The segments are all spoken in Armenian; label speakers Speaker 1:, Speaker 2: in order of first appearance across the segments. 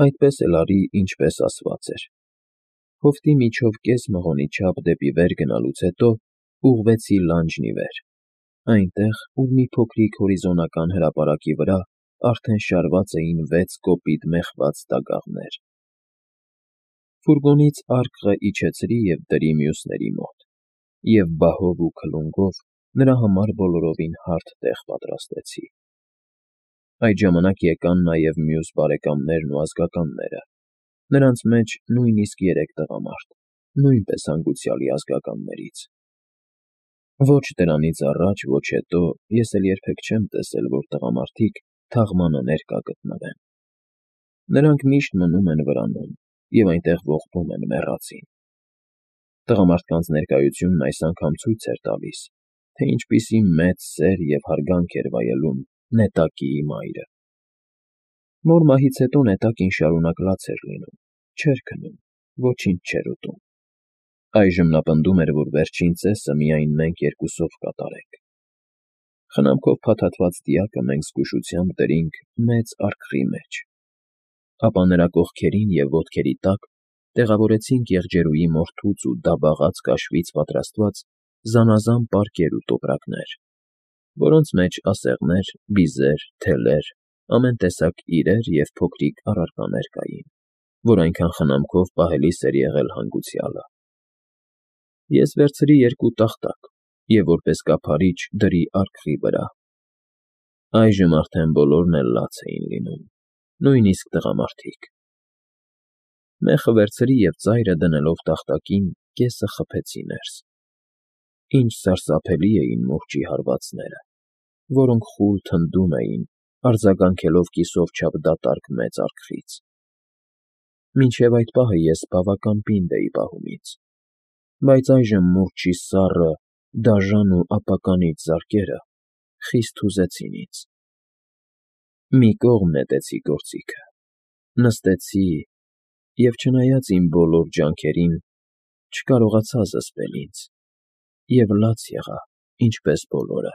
Speaker 1: այդպես էլ արի, ինչպես ասված էր։ Հովտի միջով կես մղոնի չափ դեպի վեր գնալուց հետո ուղղվեցի լանջն ի վեր, այնտեղ, ուր մի փոքրիկ հորիզոնական հրապարակի վրա արդեն շարված էին 6 կոպիտ մեխված դագաղներ։ Ֆուրգոնից արկղը իջեցրի և դրի մյուսների մոտ, և բահով ու քլունգով նրա համար բոլորովին հարթ տեղ պատրաստեցի։ Այդ ժամանակ եկան նաև մյուս բարեկամներն ու ազգականները, նրանց մեջ նույնիսկ 3 տղամարդ, նույնպես հանգուցյալի ազգականներից։ Ոչ դրանից առաջ, ոչ հետո ես էլ երբեք չեմ տեսել, որ տղամարդիկ թաղմանը ներկա գտնվեն։ Նրանք միշտ մնում են վրանում և այնտեղ ողբում են մեռածին։ Տղամարդկանց ներկայությունն այս անգամ ցույց էր տալիս, թե ինչպիսի մեծ սեր և հարգանք էր վայելում Նետակիի մայրը։ Մոր մահից հետո Նետակին շարունակ լաց էր լինում, չէր քնում, ոչինչ չէր ուտում։ Այժմ նա պնդում էր, որ վերջին ծեսը միայն մենք երկուսով կատարենք։ Խնամքով փաթաթված դիակը մենք զգուշությամբ դրինք մեծ արկղի մեջ, ապա նրա կողքերին և ոտքերի տակ տեղավորեցինք եղջերուի մորթուց ու դաբաղած կաշվից պատրաստված զանազան պարկեր ու տոպրակներ, որոնց մեջ ասեղներ, բիզեր, թելեր, ամեն տեսակ իրեր և փոքրիկ առարկաներ կային, որ այնքան խնամքով պահելիս էր եղել հանգուցյալը։ Ես վերցրի 2 տախտակ և որպես կափարիչ դրի արկղի վրա։ Այժմ արդեն բոլորն էլ լաց էին լինում, նույնիսկ տղամարդիկ։ Մեխը վերցրի և ծայրը դնելով տախտակին կեսը խփեցի ներս։ Ինչ սարսափելի էին մուրճի հարվածները, որոնք խուլ թնդում էին, արձագանքելով կիսով չափ դատարկ մեծ արկղից։ Մինչև այդ պահը ես բավական պինդ էի պահում ինձ, բայց այժմ մուրճի սառը, դաժան ու ապականիչ զարկերը խիստ հուզեցին ինձ։ Մի կողմ նետեցի գործիքը, նստեցի և, չնայած իմ բոլոր ջանքերին, չկարողացա զսպել ինձ և լաց եղա, ինչպես բոլորը։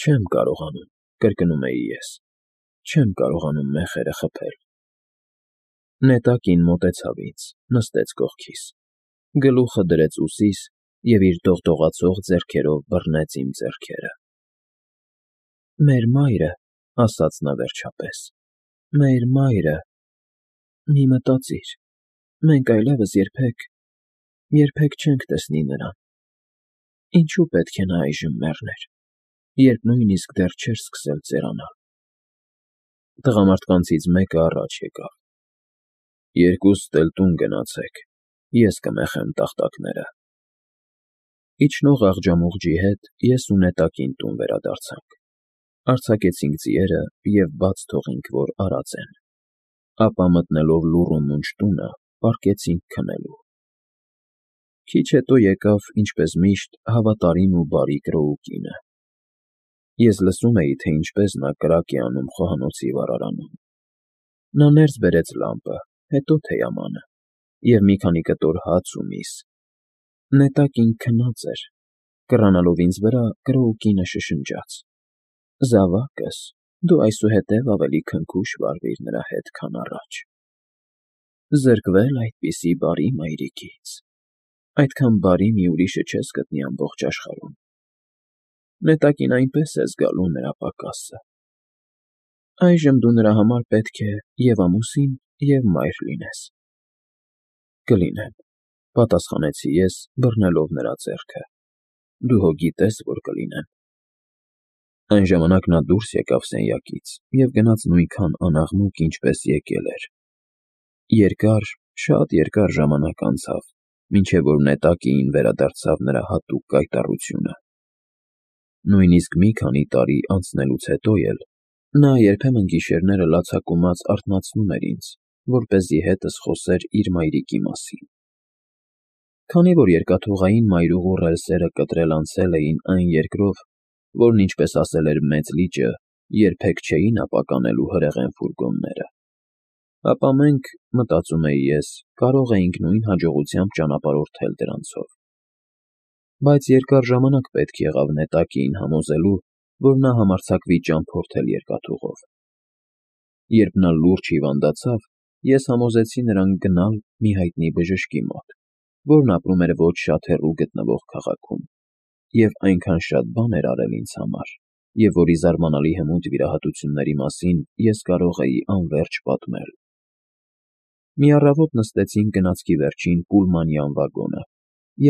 Speaker 1: Չեմ կարողանում, կրկնում էի ես, չեմ կարողանում մեխերը խփել։ Նետակին մոտեցավ ինձ, նստեց կողքիս, գլուխը դրեց ուսիս և իր դողդողացող ձեռքերով բռնեց իմ ձեռքերը։ «Մեր մայրը,֊ ասաց նա վերջապես,֊ մեր մայրը… Մի մտածիր, մենք այլևս երբեք չենք տեսնի նրան… Ինչու պետք է նա այժմ մեռներ, երբ նույնիսկ դեռ չէր սկսել ծերանալ»։ Տղամարդկանցից մեկը առաջ եկավ. «Երկուսդ էլ տուն գնացեք, ես կմեխեմ տախտակները»։ Իջնող աղջամուղջի հետ ես ու Նետակին տուն վերադարձանք, արձակեցինք ձիերը և բաց թողինք, որ արածեն, ապա մտնելով լուռ ու մունջ տունը, պառկեցինք քնելու։ Քիչ հետո եկավ, ինչպես միշտ, հավատարիմ ու բարի Կրոուկինը։ Ես լսում էի, թե ինչպես նա կրակ է անում խոհանոցի վառարանում։ Նա ներս բերեց լամպը, հետո թեյամանը և մի քանի կտոր հաց ու միս։ Նետակին քնած էր։ Կռանալով ինձ վրա, Կրոուկինը շշնջաց. «Զավակս, դու այսուհետև ավելի քնքուշ վարվիր նրա հետ, քան առաջ… Զրկվել այդպիսի բարի մայրիկից… Այդքան բարի մի ուրիշը չես գտնի ամբողջ աշխարհում… Նետակին այնպես է զգալու նրա պակասը… Այժմ դու նրա համար պետք է և՛ ամուսին, և՛ մայր լինես»։ «Կլինեմ,֊ պատասխանեցի ես, բռնելով նրա ձեռքը,֊ դու հո գիտես, որ կլինեմ»։ Այն ժամանակ նա դուրս եկավ սենյակից և գնաց նույնքան անաղմուկ, ինչպես եկել էր։ Երկար, շատ երկար ժամանակ անցավ, մինչև որ Նետակիին վերադարձավ նրա հատուկ կայտառությունը։ Նույնիսկ մի քանի տարի անցնելուց հետո էլ նա երբեմն գիշերները լացակումած արթնացնում էր ինձ, որպեսզի հետս խոսեր իր մայրիկի մասին։ Քանի որ երկաթուղային մայրուղու ռելսերը կտրել անցել էին այն երկրով, որն, ինչպես ասել էր մեծ լիճը, երբեք չէին ապականելու հրեղեն ֆուրգոնները, ապա մենք, մտածում էի ես, կարող էինք նույն հաջողությամբ ճանապարհորդել դրանցով։ Բայց երկար ժամանակ պետք եղավ Նետակիին համոզելու, որ նա համարձակվի ճամփորդել երկաթուղով։ Երբ նա լուրջ հիվանդացավ, ես համոզեցի նրան գնալ մի հայտնի բժշկի մոտ, որն ապրում էր ոչ շատ հեռու գտնվող քաղաքում, և այնքան շատ բան էր արել ինձ համար, և որի զարմանալի հմուտ վիրահատությունների մասին ես կարող էի անվերջ պատմել։ Մի առավոտ նստեցինք գնացքի վերջին պուլմանյան վագոնը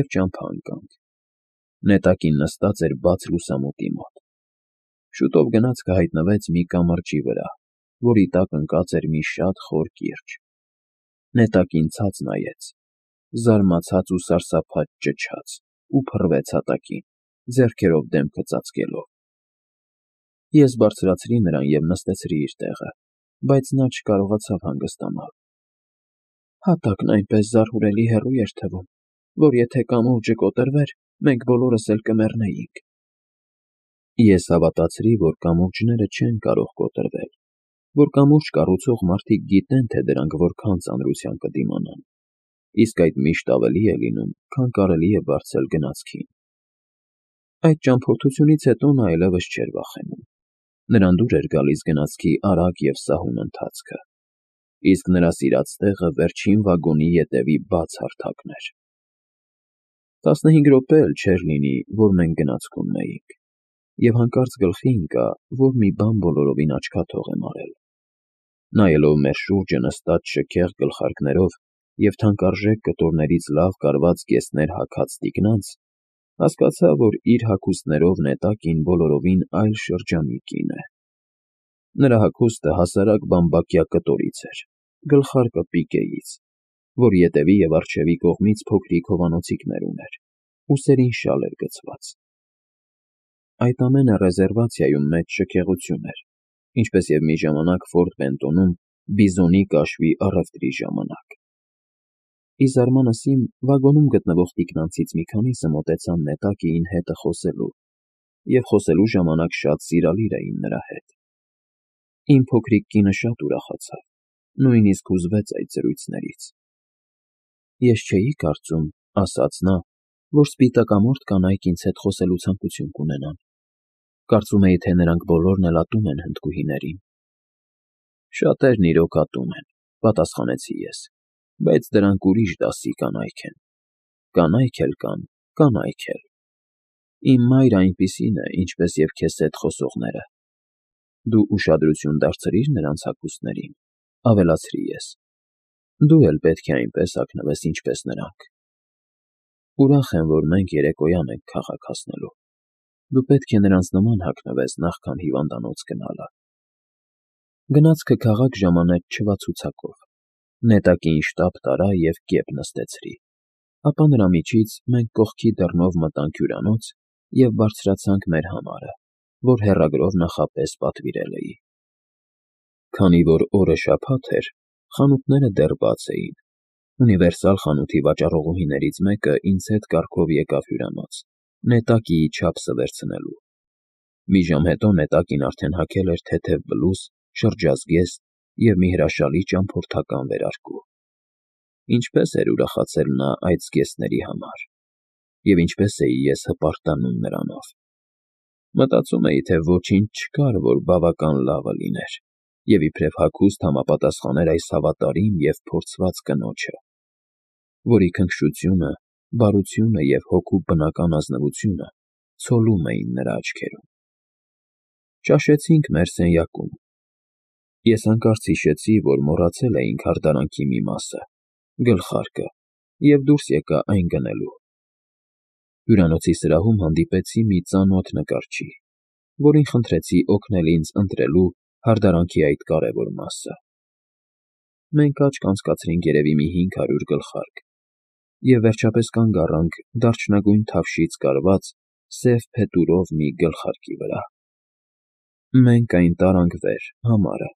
Speaker 1: և ճամփա ընկանք։ Նետակին նստած էր բաց լուսամուտի մոտ։ Շուտով գնացքը հայտնվեց մի կամրջի վրա, որի տակ ընկած էր մի շատ խոր կիրճ։ Նետակին ցած նայեց, զարմացած ու սարսափած ճչաց ու փռվեց հատակին, ձեռքերով դեմքը ծածկելով։ Ես բարձրացրի նրան և նստեցրի իր տեղը, բայց նա չկարողացավ հանգստանալ։ Հատակն այնպես զարհուրելի հեռու էր թվում, որ եթե կամուրջը կոտրվեր, մենք բոլորս էլ կմեռնեինք։ Ես հավատացրի, որ կամուրջները չեն կարող կոտրվել, որ կամուրջ կառուցող մարդիկ գիտեն, թե դրանք որքան ծանրության կդիմանան, իսկ այդ միշտ ավելի է լինում, քան կարելի է վարձել գնացքին։ Այդ ճամփորդությունից հետո նա այլևս չէր վախենում։ Նրան դուր էր գալիս գնացքի արագ և սահուն ընթացքը, իսկ նրա սիրած տեղը վերջին վագոնի ետևի բաց հարթակն էր։ 15 րոպե էլ չէր լինի, որ մենք գնացքում էինք, և հանկարծ գլխի ընկա, որ մի բան բոլորովին աչքաթող եմ արել։ Նայելով մեր շուրջը նստած շքեղ գլխարկներով և թանկարժեք կտորներից լավ կարված կեսներ հագած տիկնանց, հասկացա, որ իր հագուստներով նետակին բոլորովին այլ շրջանի կին է։ Նրա հագուստը հասարակ բամբակյա կտորից էր, գլխարկը պիկեից, որ ետևի և առջևի կողմից փոքրիկ հովանոցիկներ ուներ, ուսերին շալ էր գցված։ Այդ ամենը ռեզերվացիայում մեծ շքեղություն էր, ինչպես և մի ժամանակ Ֆորտ Բենտոնում բիզոնի կաշվի առևտրի ժամանակ։ Ի զարմանս իմ, վագոնում գտնվող տիկնանցից մի քանիսը մոտեցան նետակին հետը խոսելու, և խոսելու ժամանակ շատ սիրալիր էին նրա հետ։ Իմ փոքրիկ կինը շատ ուրախացավ, նույնիսկ հուզվեց այդ զրույցներից։ Ես չէի կարծում, ասաց նա, որ սպիտակամորթ կանայք ինձ հետ խոսելու ցանկություն կունենան։ Կարծում էի, թե նրանք բոլորն էլ ատում են հնդկուհիներին։ Շատերն իրոք ատում են, պատասխանեցի ես, բայց դրանք ուրիշ դասի կանայք են։ Կանայք էլ կան, կանայք էլ։ Իմ մայրը այնպիսին է, ինչպես և քեզ հետ խոսողները։ Դու ուշադրություն դարձրի՞ր նրանց հագուստներին, ավելացրի ես։ Դու էլ պետք է այնպես հագնվես, ինչպես նրանք։ Ուրախ եմ, որ մենք երեկոյան ենք քաղաք հասնելու։ Դու պետք է նրանց նման հագնվես, նախքան հիվանդանոց գնալը։ Գնացքը քաղաք ժամանեց չվացուցակով։ Նետակին շտապ տարա և կեպ նստեցրի։ Ապա նրա միջից մենք կողքի դռնով մտանք հյուրանոց և բարձրացանք մեր համարը, որ հեռագրով նախապես պատվիրել էի։ Քանի որ օրը շաբաթ էր, խանութները դեռ բաց էին։ Ունիվերսալ խանութի վաճառողուհիներից մեկը ինձ հետ կառքով եկավ հյուրանոց, նետակի չափսը վերցնելու։ Մի ժամ հետո նետակին արդեն հագել էր թեթև բլուզ, շրջազգեստ և մի հրաշալի ճամփորդական վերարկու։ Ինչպես էր ուրախացել նա այդ զգեստների համար, և ինչպես էի ես հպարտանում նրանով։ Մտածում էի, թե ոչինչ չկար, որ բավական լավը լիներ, և իբրև հագուստ համապատասխաներ այս հավատարիմ և փորձված կնոջը, որի քնքշությունը, բարությունը և հոգու բնական ազնվությունը ցոլում էին նրա աչքերում։ Ճաշեցինք մեր սենյակում։ Ես հանկարծ հիշեցի, որ մոռացել էինք հարդարանքի մի մասը՝ գլխարկը, և դուրս եկա այն գնելու։ Հյուրանոցի սրահում հանդիպեցի մի ծանոթ նկարչի, որին խնդրեցի օգնել ինձ ընտրելու հարդարանքի այդ կարևոր մասը։ Մենք աչք անցկացրինք երևի մի 500 գլխարկ, և վերջապես կանգ առանք դարչնագույն թավշից կարված սև փետուրով մի գլխարկի վրա։ Մենք այն տարանք վեր, համարը,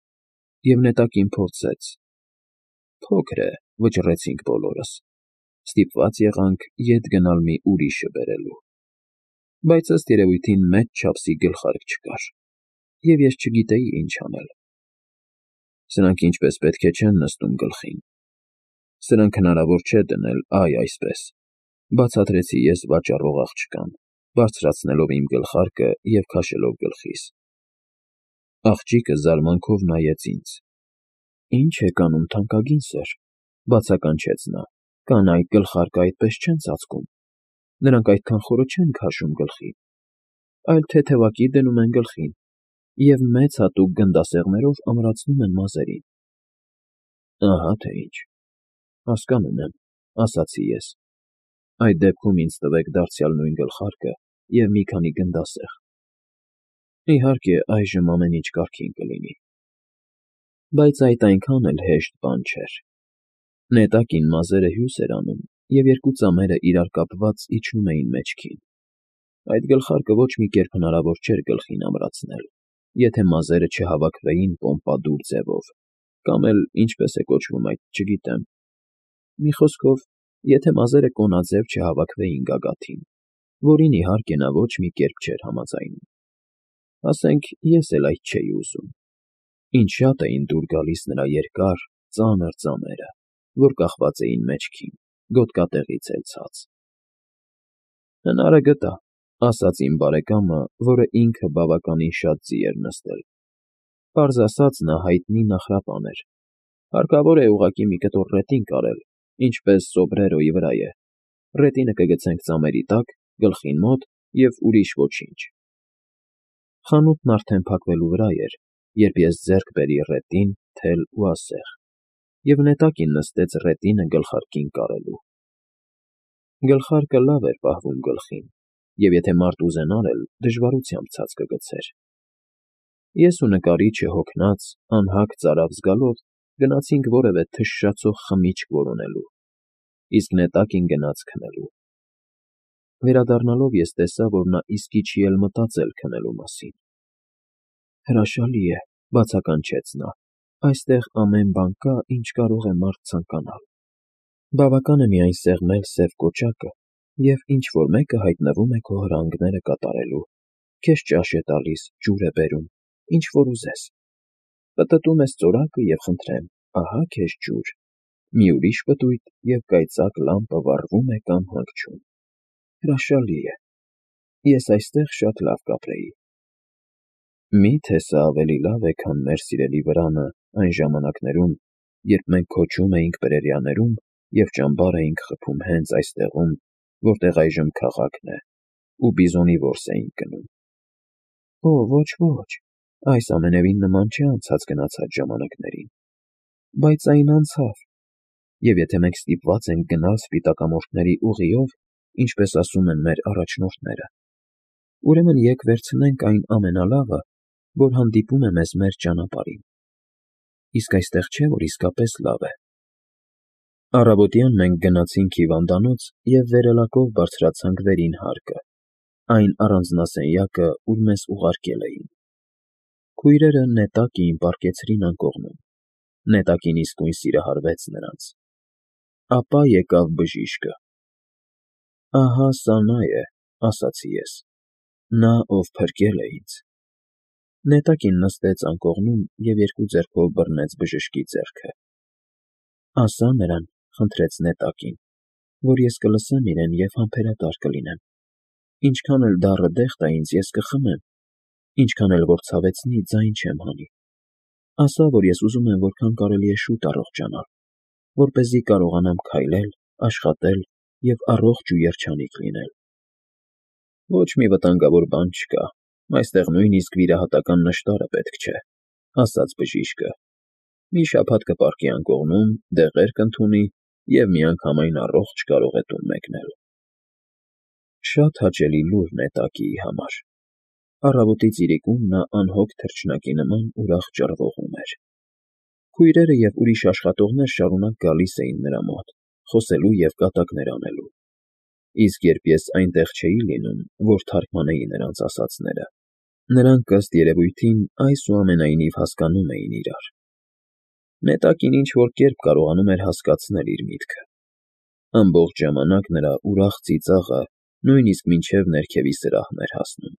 Speaker 1: և նետակին փորձեց։ Փոքր է, վճռեցինք բոլորս։ Ստիպված եղանք ետ գնալ մի ուրիշը բերելու։ Բայց ըստ երևույթին մեծ չափսի գլխարկ չկար, և ես չգիտեի ինչ անել։ Սրանք ինչպես պետք է չեն նստում գլխին։ Սրանք հնարավոր չէ դնել, այ այսպես, բացատրեցի ես վաճառող աղջկան, բարձրացնելով իմ գլխարկը և քաշելով գլխիս։ Աղջիկը զարմանքով նայեց ինձ, Ինչ եք անում, թանկագին սըր, բացականչեց նա, կանայք գլխարկը այդպես չեն ծածկում, նրանք այդքան խորը չեն քաշում գլխին, այլ թեթևակի դնում են գլխին և մեծ հատուկ գնդասեղմերով ամրացնում են մազերին։ Ահա թե ինչ, հասկանում եմ, ասացի ես, այդ դեպքում ինձ տվեք դարձյալ նույն գլխարկը և մի քանի գնդասեղմ։ Իհարկե, այժմ ամեն ինչ կարգին կլինի։ Բայց այդ այնքան էլ հեշտ բան չէր։ Նետակին մազերը հյուս էր անում, և երկու ծամերը իրար կապված իջնում էին մեջքին։ Այդ գլխարկը ոչ մի կերպ հնարավոր չէր գլխին ամրացնել, եթե մազերը չհավաքվեին պոմպադուր ձևով, կամ էլ ինչպես է կոչվում այդ, չգիտեմ։ Մի խոսքով, եթե մազերը կոնաձև չհավաքվեին գագաթին, որին իհարկե նա ոչ մի կերպ չէր համաձայնում։ Ասենք, ես էլ այդ չէի ուզում։ Ինչ շատ էին դուր գալիս նրա երկար, ծանր ծամերը, որ կախված էին մեջքին, գոտկատեղից էլ ցած։ Հնարը գտա, ասաց իմ բարեկամը, որը ինքը բավականին շատ ձի էր նստել։ Պարզ ասած, նա հայտնի նախրապան էր։ Հարկավոր է ուղղակի մի կտոր ռետին կարել, ինչպես սոբրերոյի վրա է։ Ռետինը կգցենք ծամերի տակ, գլխին մոտ և ուրիշ ոչինչ։ Խանութն արդեն փակվելու վրա էր, երբ ես ձեռք բերի ռետին, թել ու ասեղ, և նետակին նստեց ռետինը գլխարկին կարելու։ Գլխարկը լավ էր պահվում գլխին, և եթե մարդ ուզենար էլ, դժվարությամբ ցած կգցեր։ Ես ու նկարիչը հոգնած, անհագ ծարավ զգալով գնացինք որևէ թշշացող խմիչք որոնելու, իսկ նետակին գնաց քնելու։ Վերադառնալով ես տեսա, որ նա իսկի չի էլ մտածել քնելու մասին։ Հրաշալի է, բացականչեց նա, այստեղ ամեն բան կա, ինչ կարող է մարդ ցանկանալ։ Բավական է միայն սեղմել սև կոճակը, և ինչ-որ մեկը հայտնվում է քո հրանգները կատարելու, քեզ ճաշ է տալիս, ջուր է բերում, ինչ որ ուզես։ Պտտում ես ծորակը և խնդրեմ, ահա քեզ ջուր, մի ուրիշ պտույտ, և կայծակ լամպը վառվում է կամ հանգչում։ Հրաշալի է։ Ես այստեղ շատ լավ կապրեի։ Մի՞թե սա ավելի լավ է, քան մեր սիրելի վրանը այն ժամանակներում, երբ մենք քոչում էինք պրերիաներում և ճամբար էինք խփում հենց այստեղում, որտեղ այժմ քաղաքն է, ու բիզոնի որս էինք գնում։ Օ, ոչ, այս ամենևին նման չէ անցած գնացած ժամանակներին։ Բայց այն անցավ, և եթե մենք ստիպված ենք գնալ սպիտակամորթների ուղիով, ինչպես ասում են մեր առաջնորդները, ուրեմն եկ վերցնենք այն ամենալավը, որ հանդիպում է մեզ մեր ճանապարհին։ Իսկ այստեղ չէ, որ իսկապես լավ է։ Առավոտյան մենք գնացինք հիվանդանոց և վերելակով բարձրացանք վերին հարկը, այն առանձնասենյակը, ուր մեզ ուղարկել էին։ Քույրերը նետակին պառկեցրին անկողնում։ Նետակին իսկույն սիրահարվեց նրանց։ Ապա եկավ բժիշկը։ Ահա սա նա է, ասացի ես, նա, ով փրկել է ինձ։ Նետակին նստեց անկողնում և երկու ձեռքով բռնեց բժշկի ձեռքը։ Ասա նրան, խնդրեց նետակին, որ ես կլսեմ իրեն և համբերատար կլինեմ։ Ինչքան էլ դառը դեղ տա ինձ, ես կխմեմ, ինչքան էլ որ ցավեցնի, ձայն չեմ հանի։ Ասա, որ ես ուզում եմ որքան կարելի է շուտ առողջանալ, որպեսզի կարողանամ քայլել, աշխատել և առողջ ու երջանիկ լինել։ Ոչ մի վտանգավոր բան չկա, այստեղ նույնիսկ վիրահատական նշտարը պետք չէ, ասաց բժիշկը։ Մի շաբաթ կպառկի անկողնում, դեղեր կընդունի և միանգամայն առողջ կարող է տուն մեկնել։ Շատ հաճելի լուր նետակիի համար։ Առավոտից իրիկուն նա անհոգ թռչնակի նման ուրախ ճռվողում էր։ Քույրերը և ուրիշ աշխատողներ շարունակ գալիս էին նրա մոտ, խոսելու և կատակներ անելու։ Իսկ երբ ես այնտեղ չէի լինում, որ թարգմանեի նրանց ասածները, նրանք ըստ երևույթին այսուամենայնիվ հասկանում էին իրար։ Նետակին ինչ֊որ կերպ կարողանում էր հասկացնել իր միտքը։ Ամբողջ ժամանակ նրա ուրախ ծիծաղը նույնիսկ մինչև ներքևի սրահն էր հասնում։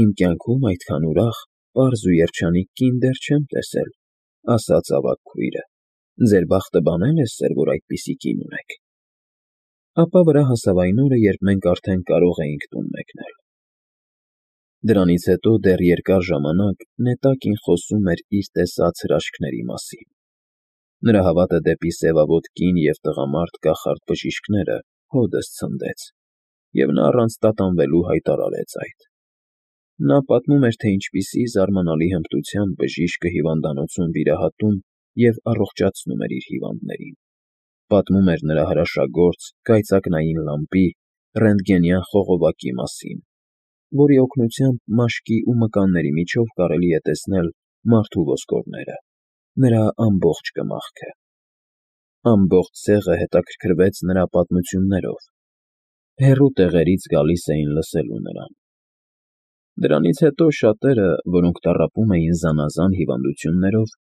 Speaker 1: Իմ կյանքում այդքան ուրախ, պարզ ու երջանիկ կին դեռ չեմ տեսել, ասաց ավագ քույրը։ Ձեր բախտը բանալ է, սեր, որ այդպիսի կին ունեք։ Ապա վրա հասավ այն օրը, երբ մենք արդեն կարող էինք տուն մեկնել։ Դրանից հետո դեռ երկար ժամանակ Նետակին խոսում էր իր տեսած հրաշքների մասին։ Նրա հավատը դեպի սևավոտ կին և տղամարդ կախարդ բժիշկները հօդս ցնդեց, և նա առանց տատանվելու հայտարարեց այդ։ Նա պատմում էր, թե ինչպիսի զարմանալի հմտությամբ բժիշկը հիվանդանոցում վիրահատում և առողջացնում էր իր հիվանդներին։ Պատմում էր նրա հրաշագործ կայծակնային լամպի, ռենտգենյան խողովակի մասին, որի օգնությամբ մաշկի ու մկանների միջով կարելի է տեսնել մարդու ոսկորները, նրա ամբողջ կմախքը։ Ամբողջ ցեղը հետաքրքրվեց նրա պատմություններով, հեռու տեղերից գալիս էին լսելու նրան։ Դրանից հետո շատերը, որոնք տառապում էին զանազան հիվանդություններով,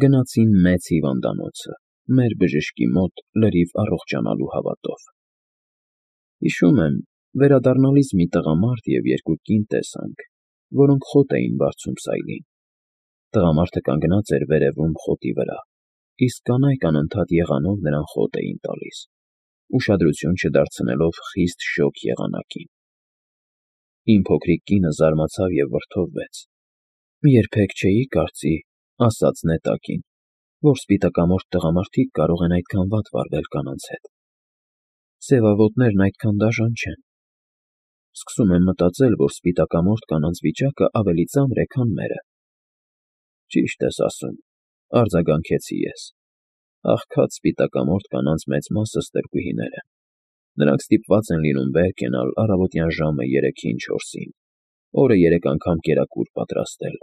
Speaker 1: գնացին մեծ հիվանդանոցը, մեր բժշկի մոտ լրիվ առողջանալու հավատով։ Հիշում եմ, վերադառնալիս մի տղամարդ և երկու կին տեսանք, որոնք խոտ էին բարձում սայլին։ Տղամարդը կանգնած էր վերևում խոտի վրա, իսկ կանայք անընդհատ եղանով նրան խոտ էին տալիս, ուշադրություն չդարձնելով խիստ շոգ եղանակին։ Իմ փոքրիկ կինը զարմացավ և վրդովվեց։ Երբեք չէի կարծի, ասաց Նետակին, որ սպիտակամորթ տղամարդիկ կարող են այդքան վատ վարվել կանանց հետ։ Սևավոտներն այդքան դաժան չեն։ Սկսում եմ մտածել, որ սպիտակամորթ կանանց վիճակը ավելի ծանր է, քան մերը։ Ճիշտ ես ասում, արձագանքեցի ես։ Աղքատ սպիտակամորթ կանանց մեծ մասը ստրկուհիներ են։ Նրանք ստիպված են լինում վեր կենալ առավոտյան ժամը 3-ին 4-ին, օրը 3 անգամ կերակուր պատրաստել,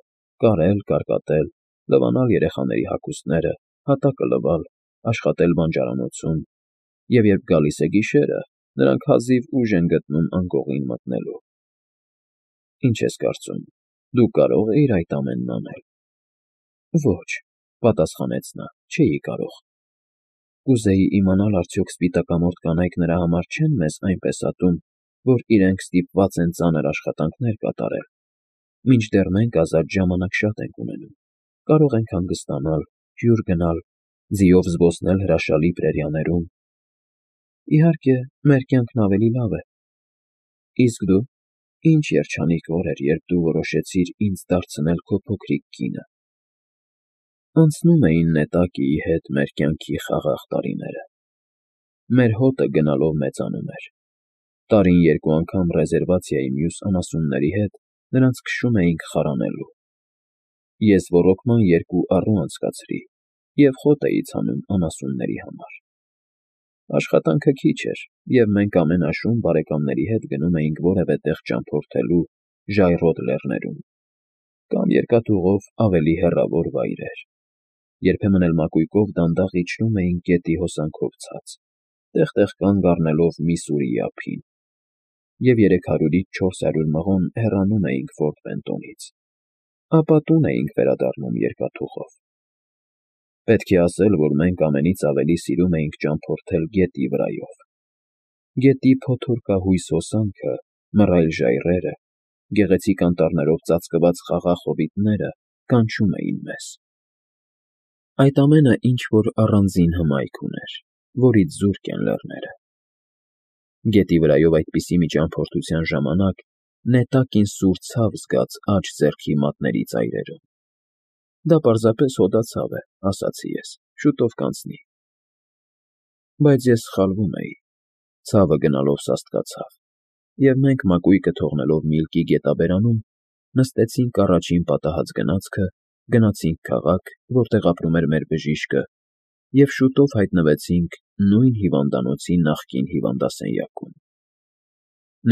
Speaker 1: կարել, կարկատել, լվանալ երեխաների հագուստները, հատակը լվալ, աշխատել բանջարանոցում, և երբ գալիս է գիշերը, նրանք հազիվ ուժ են գտնում անկողին մտնելու։ Ինչ ես կարծում, դու կարո՞ղ էիր այդ ամենն անել։ Ոչ, պատասխանեց նա, չէի կարող։ Կուզեի իմանալ, արդյոք սպիտակամորթ կանայք նրա համար չեն մեզ այնպես ատում, որ իրենք ստիպված են ծանր աշխատանքներ կատարել, մինչդեռ մենք ազատ ժամանակ շատ ենք ունենում, կարող ենք հանգստանալ, հյուր գնալ, ձիով զբոսնել հրաշալի պրերիաներում։ Իհարկե, մեր կյանքն ավելի լավ է։ Իսկ դու, ինչ երջանիկ օր էր, երբ դու որոշեցիր ինձ դարձնել քո փոքրիկ կինը։ Անցնում էին Նետակիի հետ մեր կյանքի խաղաղ տարիները։ Մեր հոտը գնալով մեծանում էր։ Տարին 2 անգամ ռեզերվացիայի մյուս անասունների հետ նրանց քշում էինք խարանելու։ Ես ոռոգման 2 առու անցկացրի և խոտ էի ցանում անասունների համար։ Աշխատանքը քիչ էր, և մենք ամեն աշուն բարեկամների հետ գնում էինք որևէ տեղ ճամփորդելու ժայռոտ լեռներում կամ երկաթուղով ավելի հեռավոր վայրեր։ Երբեմն էլ մակույկով դանդաղ իջնում էինք գետի հոսանքով ցած, տեղ-տեղ կանգ առնելով Միսսուրիի ափին, և 300-ից 400 մղոն հեռանում էինք Ֆորտ Բենտոնից, ապա տուն էինք վերադառնում երկաթուղով։ Պետք է ասել, որ մենք ամենից ավելի սիրում էինք ճամփորդել գետի վրայով։ Գետի փոթորկահույս հոսանքը, մռայլ ժայռերը, գեղեցիկ անտառներով ծածկված խաղաղ հովիտները կանչում էին մեզ։ Այդ ամենը ինչ-որ առանձին հմայք ուներ, որից զուրկ են լեռները։ Գետի վրայով այդպիսի մի ճամփորդության ժամանակ Նետակին սուր ցավ զգաց աջ ձեռքի մատների ծայրերում։ Դա պարզապես հոդացավ է, ասացի ես, շուտով կանցնի։ Բայց ես սխալվում էի։ Ցավը գնալով սաստկացավ, և մենք մակույկը թողնելով Միլկի գետաբերանում, նստեցինք առաջին պատահած գնացքը, գնացինք քաղաք, որտեղ ապրում էր մեր բժիշկը, և շուտով հայտնվեցինք նույն հիվանդանոցի նախկին հիվանդասենյակում։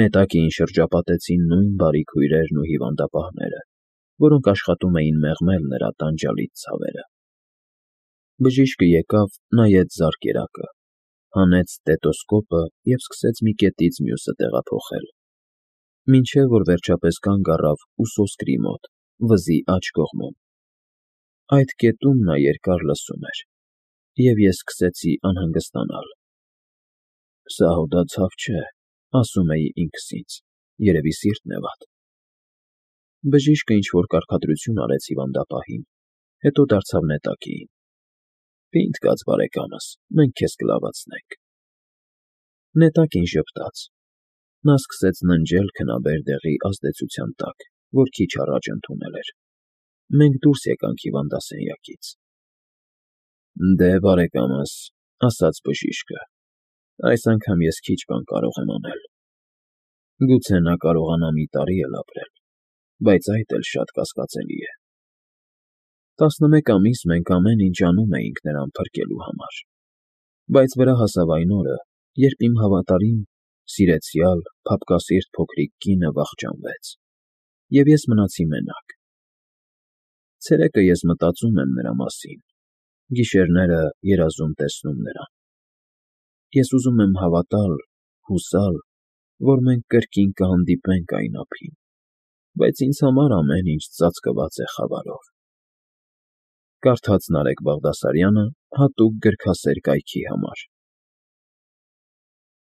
Speaker 1: Նետակիին շրջապատեցին նույն բարիք հյուրերն ու հիվանդապահները, որոնք աշխատում էին մեղմել նրա տանջալից ցավերը։ Բժիշկը եկավ, նայեց զարկերակը, հանեց ստետոսկոպը և սկսեց մի կետից մյուսը տեղափոխել, մինչև որ վերջապես կանգ առավ ուսոսկրի մոտ, վզի աջ կողմում։ Այդ կետում նա երկար լսում էր, և ես սկսեցի անհանգստանալ։ «Սա հոդացավ չէ», ասում էի ինքս ինձ, երևի սիրտն է վատ։ Բժիշկը ինչ-որ կարգադրություն արեց հիվանդապահին, հետո դարձավ Նետակիին։ «Պինդ կաց, բարեկամս, մենք քեզ կլավացնենք»։ Նետակին ժպտաց։ Նա սկսեց ննջել քնաբեր դեղի ազդեցության տակ, որ քիչ առաջ ընդունել էր։ Մենք դուրս եկանք հիվանդասենյակից։ Դե, բարեկամս, ասաց բժիշկը, այս անգամ ես քիչ բան կարող եմ անել։ Գուցե նա կարողանա մի տարի էլ ապրել, բայց այդ էլ շատ կասկածելի է։ 11 ամիս մենք ամեն ինչ անում էինք նրան փրկելու համար, բայց վրա հասավ այն օրը, երբ իմ հավատարիմ, սիրեցյալ, փափկասիրտ փոքրիկ կինը վախճանվեց, և ես մնացի մենակ։ Ցերեկը ես մտածում եմ նրա մասին, գիշերները երազում տեսնում նրան։ Ես ուզում եմ հավատալ, հուսալ, որ մենք կրկին կհանդիպենք այն ափին, բայց ինձ համար ամեն ինչ ծածկված է խավարով։ Կարդաց Նարեկ Բաղդասարյանը հատուկ գրքասեր կայքի համար։